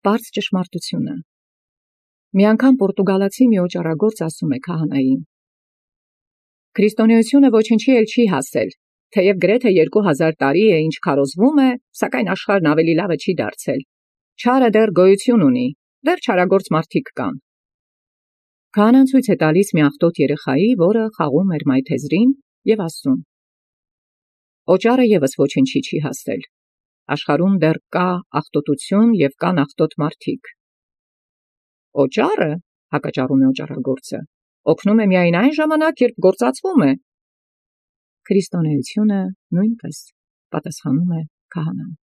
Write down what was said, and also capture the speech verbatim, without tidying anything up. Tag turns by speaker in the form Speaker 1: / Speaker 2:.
Speaker 1: պարզ ճշմարտութիւնը։ Մի անգամ պորտուգալացի մի օճառագործ ասում է քահանային. «Քրիստոնեությունը ոչինչի էլ չի հասել, թեև գրեթե երկու հազար տարի է ինչ քարոզվում է, սակայն աշխարհն ավելի լավը չի դարձել։ Չարը դեռ գոյություն ունի, դեռ չարագործ մարդիկ կան»։ Քահանան ցույց է տալիս մի աղտոտ երեխայի, որը խաղում էր մայթեզրին, եւ ասում. «Օճառը եւս ոչինչի չի հասել։ Աշխարհում դեռ կա աղտոտություն եւ կան աղտոտ մարդիկ»։ «Օճառը, հակաճառում է օճառագործը, օգնում է միայն այն ժամանակ, երբ գործածվում է»։ Քրիստոնեությունը նույնպես, պատասխանում է քահանան։